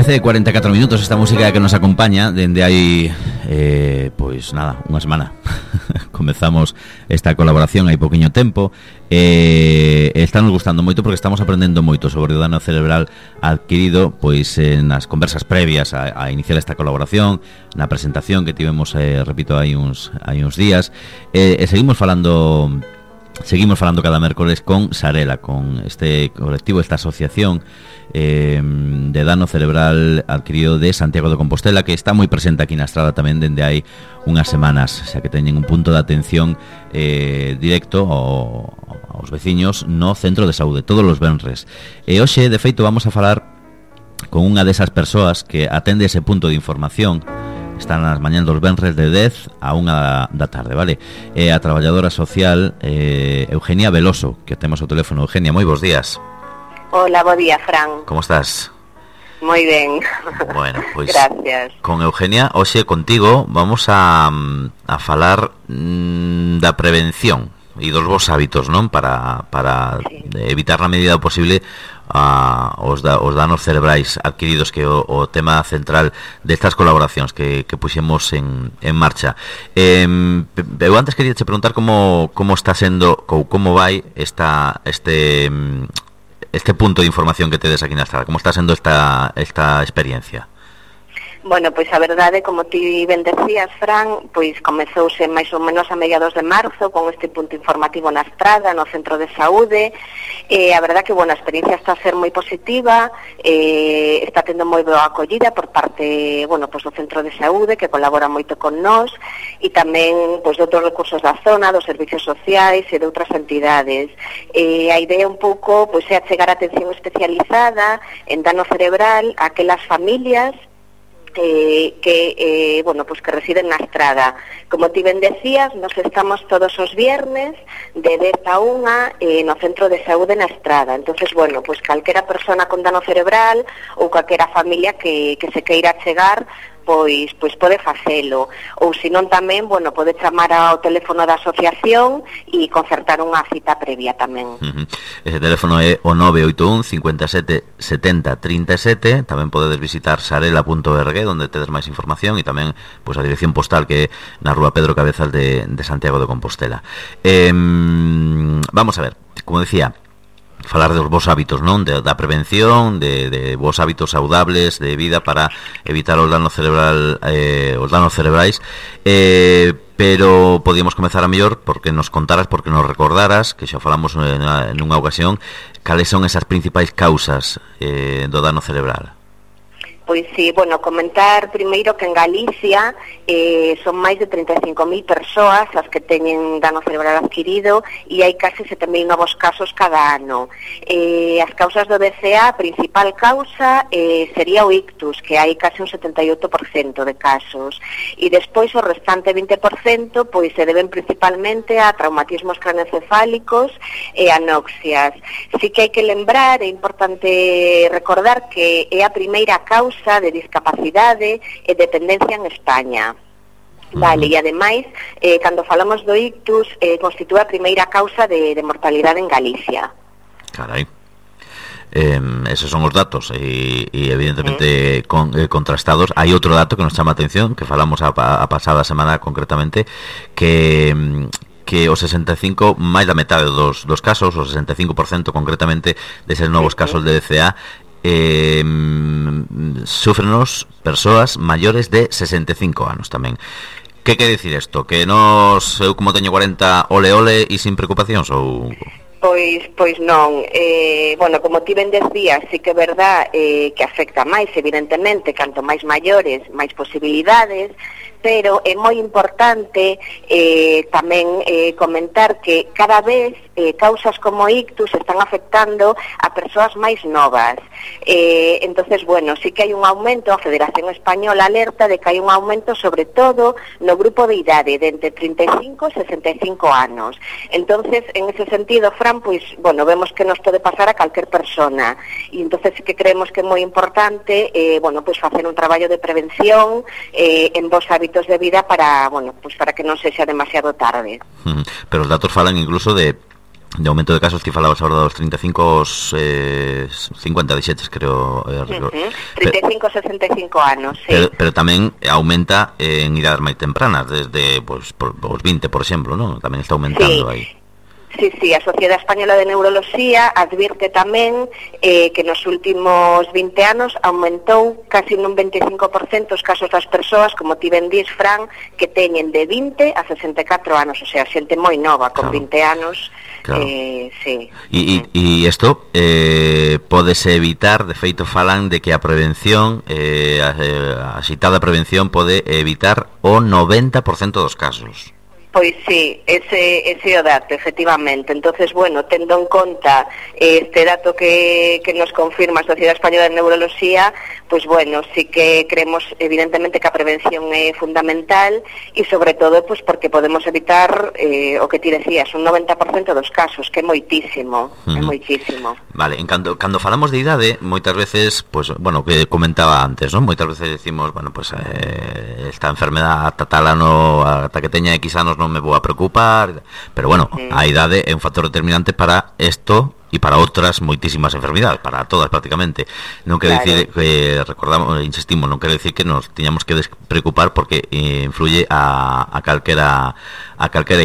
13:44 minutos esta música que nos acompaña dende hai pois nada, unha semana. Comezamos esta colaboración hai poquinho tempo. Estamos gustando moito porque estamos aprendendo moito sobre o dano cerebral adquirido pois nas conversas previas a iniciar esta colaboración, na presentación que tivemos, repito, hai uns días, e seguimos falando cada mércoles con Sarela, con este colectivo, esta asociación de dano cerebral adquirido de Santiago de Compostela, que está moi presente aquí na Estrada tamén dende hai unhas semanas, xa que teñen un punto de atención directo aos veciños no centro de saúde todos os venres. E hoxe, de feito, vamos a falar con unha desas persoas que atende ese punto de información. Están nas mañán dos venres de 10 a 1 da tarde, vale? A traballadora social Eugenia Veloso, que temos o teléfono. Eugenia, moi bons días. Hola, bo día, Fran. Como estás? Moi ben. Bueno, pois gracias. Con Eugenia, hoxe contigo vamos a falar da prevención e dos vos hábitos, non? Para sí, evitar na medida posible os danos cerebrais adquiridos, que o tema central destas colaboracións que puxemos en marcha. Eu antes quería te preguntar como está sendo ou como vai este punto de información que tedes aquí na Estrada. Como está sendo esta experiencia? Bueno, pois a verdade, como ti ben decías, Fran, pois comezouse máis ou menos a mediados de marzo con este punto informativo na Estrada, no centro de saúde. A verdade que, bueno, a experiencia está a ser moi positiva, está tendo moi boa acollida por parte, bueno, pois do centro de saúde, que colabora moito con nós, e tamén, pois, de outros recursos da zona, dos servicios sociais e de outras entidades. A idea un pouco, pois, é achegar atención especializada en dano cerebral a aquelas familias que bueno, pues que residen na Estrada. Como ti ben decías, nos estamos todos os viernes de 10 a 1 no centro de saúde na Estrada. Entonces, bueno, pues calquera persona con dano cerebral ou calquera familia que se queira chegar, pois pode facelo, ou senón tamén, bueno, pode chamar ao teléfono da asociación e concertar unha cita previa tamén. Ese teléfono é o 981 57 70 37. Tamén podedes visitar sarela.org, onde tedes máis información, e tamén pois a dirección postal, que é na rúa Pedro Cabezas de Santiago de Compostela. Vamos a ver, como decía, falar dos vos hábitos, non? Da prevención, de vos hábitos saudables de vida para evitar os danos cerebrais, pero podíamos comezar a mellor porque nos contaras, porque nos recordaras, que xa falamos nunha ocasión, cales son esas principais causas do dano cerebral. Pois sí, bueno, comentar primeiro que en Galicia son máis de 35.000 persoas as que teñen dano cerebral adquirido e hai case 7.000 novos casos cada ano. As causas do DCA, a principal causa sería o ictus, que hai case un 78% de casos. E despois o restante 20% pois se deben principalmente a traumatismos craneoencefálicos e anoxias. Sí que hai que lembrar, é importante recordar que é a primeira causa de discapacidade e dependencia en España. Vale, e ademais, cando falamos do ictus, constitúe a primeira causa de mortalidade en Galicia. Carai. Esos son os datos e evidentemente contrastados. Hai outro dato que nos chama a atención, que falamos a pasada semana concretamente, que o 65, máis da metade dos casos, o 65% concretamente deses novos casos de DCA, sufrenos persoas maiores de 65 anos tamén. Que quere dicir isto? Que eu como teño 40 ole e sin preocupacións ou... Pois non, bueno, como ti ben decías, sí que é verdad que afecta máis, evidentemente, canto máis maiores, máis posibilidades, pero é moi importante tamén comentar que cada vez causas como ictus están afectando a persoas máis novas. Entonces, bueno, sí que hai un aumento, a Federación Española alerta de que hai un aumento sobre todo no grupo de idade de entre 35 e 65 anos. Entonces, en ese sentido, Fran, pois, bueno, vemos que nos pode pasar a calquer persona, e entonces sí que creemos que é moi importante, bueno, pois facer un traballo de prevención en vos hábitos de vida para, bueno, pois para que non sexa demasiado tarde. Pero os datos falan incluso de de aumento de casos, ti falabas agora dos 35 aos 50, dixetes, creo. 35, 65 anos, sí. Pero tamén aumenta en idades máis tempranas, desde os 20, por exemplo, non? Tamén está aumentando aí. Sí, a Sociedade Española de Neuroloxía advirte tamén que nos últimos 20 anos aumentou casi nun 25% os casos das persoas, como ti ben dís, Fran, que teñen de 20 a 64 anos, o sea, xente moi nova, con 20 anos. Claro. Sí. E isto pódese evitar, de feito falan de que a prevención, a citada prevención pode evitar o 90% dos casos. Pois sí, ese é o dato, efectivamente. Entonces, bueno, tendo en conta este dato que nos confirma a Sociedade Española de Neuroloxía, pois bueno, sí que creemos evidentemente que a prevención é fundamental e sobre todo pois porque podemos evitar o que ti decías, un 90% dos casos, que é moitísimo, é moitísimo. Vale, cando falamos de idade, moitas veces, pois, bueno, que comentaba antes, non? Moitas veces decimos, bueno, pois esta enfermedad ata tal ano, ata que teña X anos non me vou a preocupar, pero bueno, a idade é un factor determinante para isto e para outras moitísimas enfermidades, para todas prácticamente. Non quero dicir que, recordamos, insistimos, non quero dicir que nos tiñamos que preocupar porque influye a calquera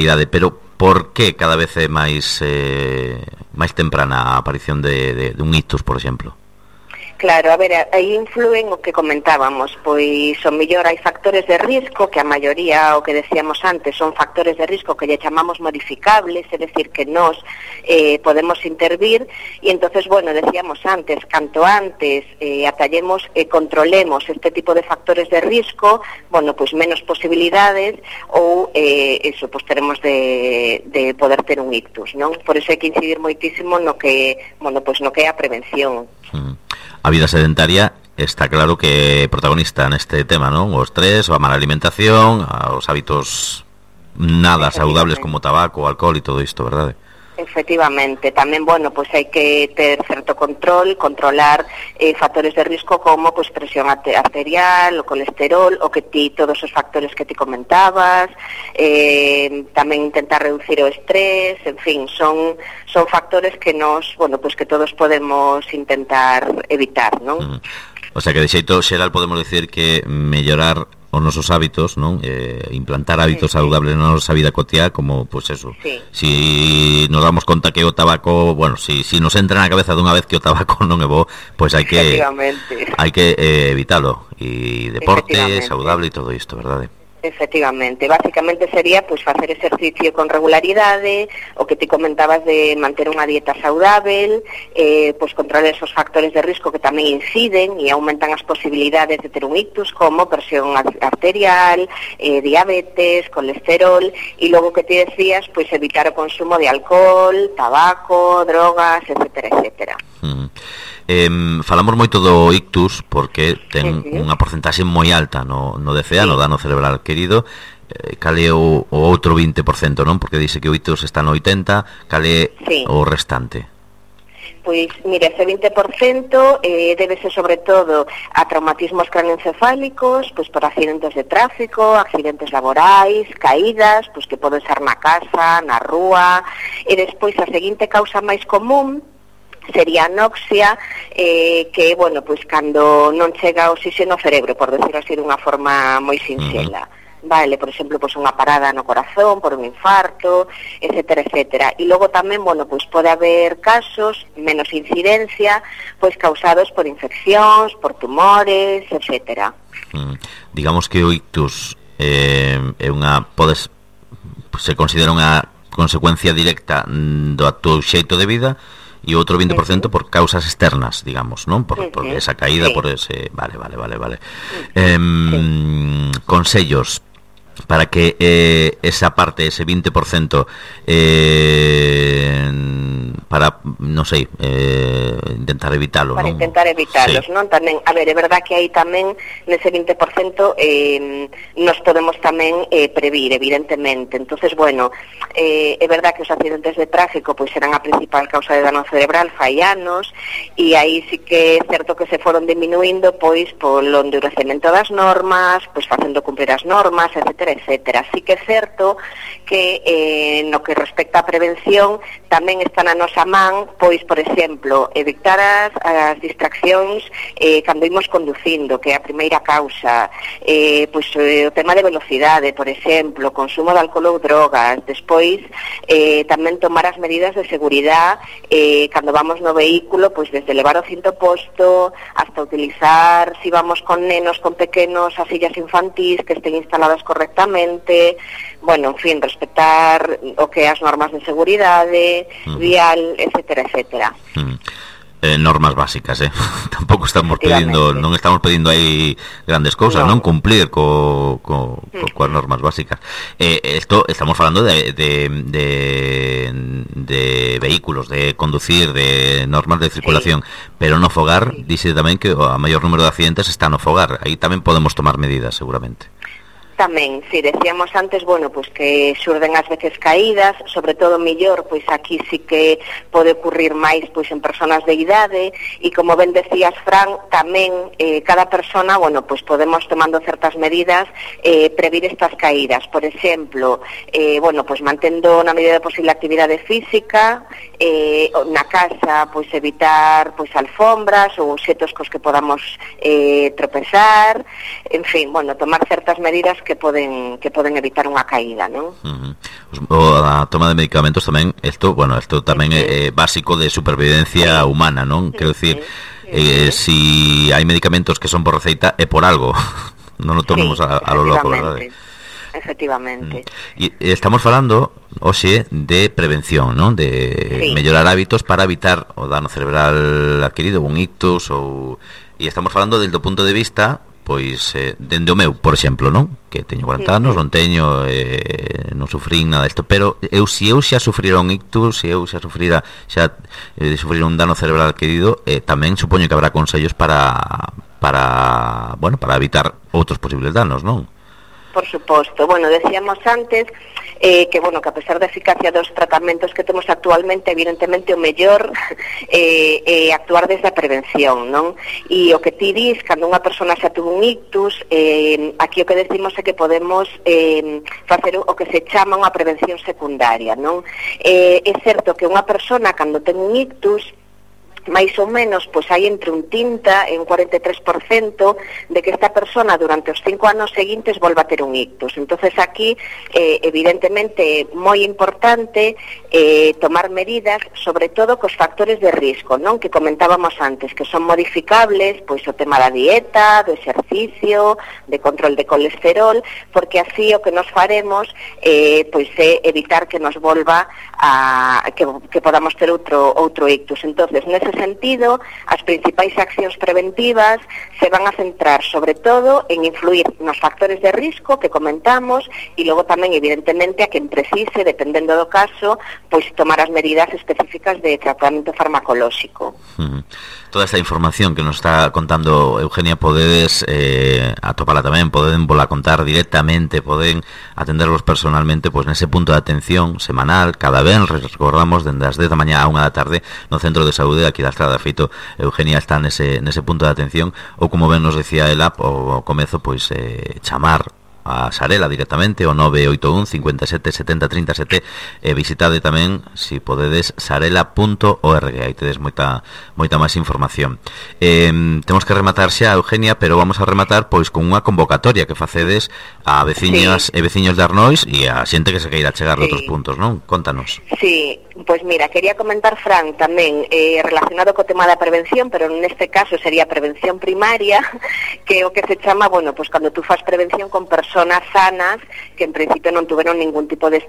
idade, pero por que cada vez é máis temprana a aparición de un ictus, por exemplo? Claro, a ver, aí influen o que comentábamos, pois o mellor hai factores de risco, que a maioría, o que decíamos antes, son factores de risco que lle chamamos modificables, é dicir, que nós podemos intervir, e entonces, bueno, decíamos antes, canto antes atallemos e controlemos este tipo de factores de risco, bueno, pois menos posibilidades, ou eso, pois teremos de poder ter un ictus, non? Por iso hai que incidir moitísimo no que, bueno, pois no que é a prevención. A vida sedentaria está claro que é protagonista neste tema, non? O estrés, a mala alimentación, os hábitos nada saludables como tabaco, alcohol e todo isto, verdade? Efectivamente, tamén, bueno, pois hai que ter certo controlar factores de risco como pois presión arterial, o colesterol, o que todos os factores que ti comentabas, tamén intentar reducir o estrés, en fin, son factores que nos, bueno, pois que todos podemos intentar evitar, non? O sea que de xeito xeral podemos decir que mellorar os nosos hábitos, non? Implantar hábitos saludables na nosa vida cotiá, como, pois eso. Sí. Si nos damos conta que o tabaco, bueno, si nos entra na cabeza dunha vez que o tabaco non é bo, pois hai que evitalo. E deporte saludable e todo isto, verdade? Efectivamente, básicamente sería pois facer exercicio con regularidade, o que te comentabas de manter unha dieta saudável, pois controlar esos factores de risco que tamén inciden e aumentan as posibilidades de ter un ictus, como presión arterial, diabetes, colesterol, e logo que te decías, pois evitar o consumo de alcohol, tabaco, drogas, etcétera, etcétera. Falamos moito do ictus porque ten unha porcentaxe moi alta no DCA, no dano cerebral adquirido. Cal é o outro 20%, non? Porque dice que o ictus está no 80%, cal é o restante? Pois, mira, ese 20% débese sobre todo a traumatismos craneoencefálicos, pois por accidentes de tráfico, accidentes laborais, caídas, pois que poden ser na casa, na rúa, e despois a seguinte causa máis común sería anoxia, que, bueno, pois cando non chega oxígeno ao cerebro, por decirlo así dunha forma moi sinxela. Vale, por exemplo, pois unha parada no corazón por un infarto, etcétera, etcétera. E logo tamén, bueno, pois pode haber casos, menos incidencia, pois causados por infeccións, por tumores, etcétera. Digamos que o ictus é unha, se considera unha consecuencia directa do teu xeito de vida, e outro 20% por causas externas, digamos, non? Por esa caída, por ese... Vale. Consellos para que esa parte, ese 20%, para non sei, intentar evitalo, para non? Intentar evitalos, sí. Non? Tamén, a ver, é verdad que aí tamén nese 20% nos podemos tamén previr, evidentemente. Entonces, bueno, é verdad que os accidentes de tráfico pois serán a principal causa de dano cerebral fai anos, e aí sí que é certo que se foron diminuindo pois polo endurecemento das normas, pois facendo cumprir as normas, etcétera, etcétera. Sí que é certo que no que respecta á prevención tamén está na nosa man, pois, por exemplo, evitar as distraccións cando imos conducindo, que é a primeira causa, pois o tema de velocidade, por exemplo, consumo de alcohol ou drogas, despois tamén tomar as medidas de seguridade cando vamos no vehículo, pois desde levar o cinto posto hasta utilizar, si vamos con nenos, con pequenos, as sillas infantís que estén instaladas correctamente, bueno, en fin, respetar o que as normas de seguridade, vial, etcétera, etcétera. Normas básicas, tampouco estamos pedindo, non estamos pedindo aí grandes cousas, non cumplir coas normas básicas. Esto estamos falando de vehículos, de conducir, de normas de circulación, pero no fogar, dice tamén que a maior número de accidentes está no fogar. Aí tamén podemos tomar medidas, seguramente. Tamén, si decíamos antes, bueno, pois que xurden ás veces caídas, sobre todo mellor, pois aquí sí que pode ocurrir máis pois en persoas de idade, e como ben decías, Fran, tamén cada persona, bueno, pois podemos tomando certas medidas previr estas caídas. Por exemplo, bueno, pois mantendo na medida posible a actividade física, na casa, pois evitar pois alfombras ou obxetos cos que podamos tropezar, en fin, bueno, tomar certas medidas que poden evitar unha caída, non? A toma de medicamentos tamén, isto tamén é básico de supervivencia humana, non? Quero dicir, si hai medicamentos que son por receita é por algo. Non o tomemos a lo loco, verdade? Efectivamente. E estamos falando hoxe de prevención, non? De mellorar hábitos para evitar o dano cerebral adquirido, un ictus, e estamos falando desde o punto de vista pois dende o meu, por exemplo, non? Que teño 40 anos, non teño non sufrín nada disto, pero se eu xa sufrira un ictus, se eu xa sufrira un dano cerebral adquirido, tamén supoño que habrá consellos para evitar outros posibles danos, non? Por suposto. Bueno, decíamos antes que, bueno, que a pesar da eficacia dos tratamentos que temos actualmente, evidentemente o mellor é actuar desde a prevención, non? E o que ti dis, cando unha persona xa tuvo un ictus, aquí o que decimos é que podemos facer o que se chama unha prevención secundaria, non? É certo que unha persona, cando ten un ictus, máis ou menos, pois hai entre un 30 e un 43% de que esta persona durante os 5 anos seguintes volva a ter un ictus. Entonces aquí, evidentemente, moi importante tomar medidas, sobre todo cos factores de risco, non? Que comentábamos antes, que son modificables, pois o tema da dieta, do exercicio, de control de colesterol, porque así o que nos faremos pois é evitar que nos volva a que podamos ter outro ictus. Entonces, nese sentido, as principais accións preventivas se van a centrar sobre todo en influir nos factores de risco que comentamos e logo tamén, evidentemente, a quen precise, dependendo do caso, pois tomar as medidas específicas de tratamento farmacolóxico. Toda esta información que nos está contando Eugenia podedes atopala tamén, poden vola contar directamente, poden atenderlos personalmente pois nese punto de atención semanal, cada vez recordamos dende as 10 da mañá a 1 da tarde no Centro de Saúde aquí da Estrada. Feito, Eugenia está nese punto de atención, ou como ben nos decía ela ao comezo, pois chamar a Sarela directamente o 981 57 70 37 visitade tamén, si podedes, sarela.org, aí tedes moita máis información. Temos que rematar xa, Eugenia, pero vamos a rematar pois con unha convocatoria que facedes a veciñas e veciños de Arnois e a xente que se queira chegar de outros puntos, non? Contanos. Sí, pois mira, quería comentar, Fran, tamén relacionado co tema da prevención, pero neste caso sería prevención primaria, que é o que se chama, bueno, pois cando tú fas prevención con persoas sanas que en principio non tuveron ningún tipo de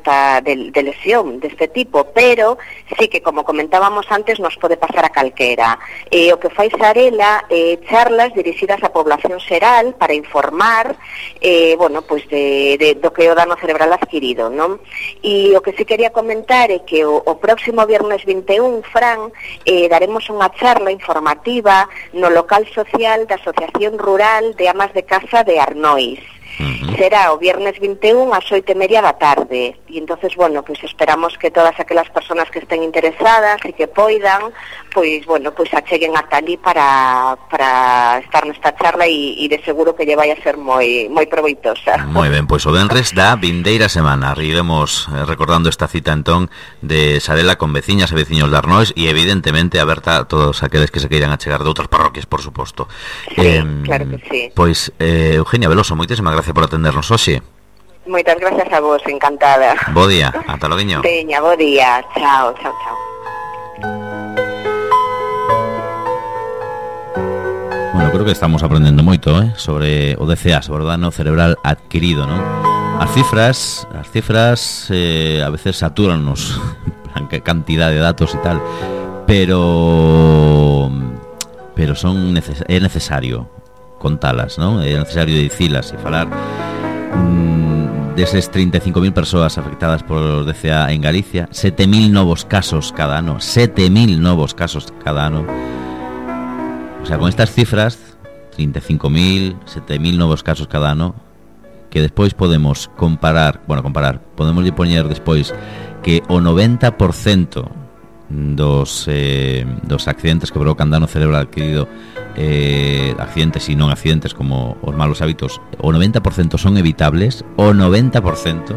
lesión deste tipo, pero sí que, como comentábamos antes, nos pode pasar a calquera. O que fai Sarela charlas dirixidas á población xeral para informar bueno, pois do que é o dano cerebral adquirido, non? E o que sí quería comentar é que o o próximo viernes 21, Fran, daremos unha charla informativa no local social da Asociación Rural de Amas de Casa de Arnois. Será o viernes 21 ás 8:30 da tarde e entonces, bueno, pues esperamos que todas aquelas persoas que estén interesadas e que poidan, pois, bueno, pois acheguen ata ali para estar nesta charla e de seguro que lle vai a ser moi proveitosa. Moi ben, pois o venres da vindeira semana iremos recordando esta cita entón de Sarela con veciñas e veciños de Arnois e evidentemente aberta a todos aqueles que se queiran achegar de outras parroquias, por suposto. Sí, claro que sí. Pois, Eugenia Veloso, moitísimas gracias por atendernos hoxe. Moitas gracias a vos, encantada. Bo día, ata loguiño. Veña, bo día, chao. Bueno, creo que estamos aprendendo moito, sobre o DCA, sobre o dano cerebral adquirido, non? As cifras a veces satúrannos en cantidad de datos e tal, pero é necesario contalas, non? É necesario dicilas e falar deses 35.000 persoas afectadas por DCA en Galicia, 7.000 novos casos cada ano, 7.000 novos casos cada ano. O sea, con estas cifras, 35.000, 7.000 novos casos cada ano, que despois podemos comparar, podemos poñer despois que o 90% dos accidentes que provocan dano cerebral adquirido, accidentes e non accidentes como os malos hábitos, o 90% son evitables, o 90%.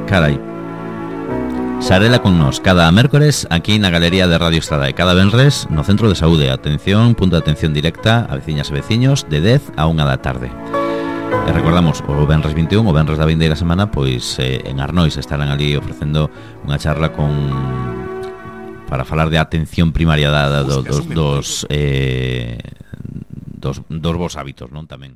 Carai. Sarela con nós cada mércores aquí na Galería de Radio Estrada e cada venres no Centro de Saúde. Atención, punto de atención directa a veciñas e veciños de 10 a 1 da tarde. E recordamos, o venres 21, o venres da vindeira semana, pois en Arnois estarán ali ofrecendo unha charla para falar de atención primaria dos bons hábitos, non, tamén.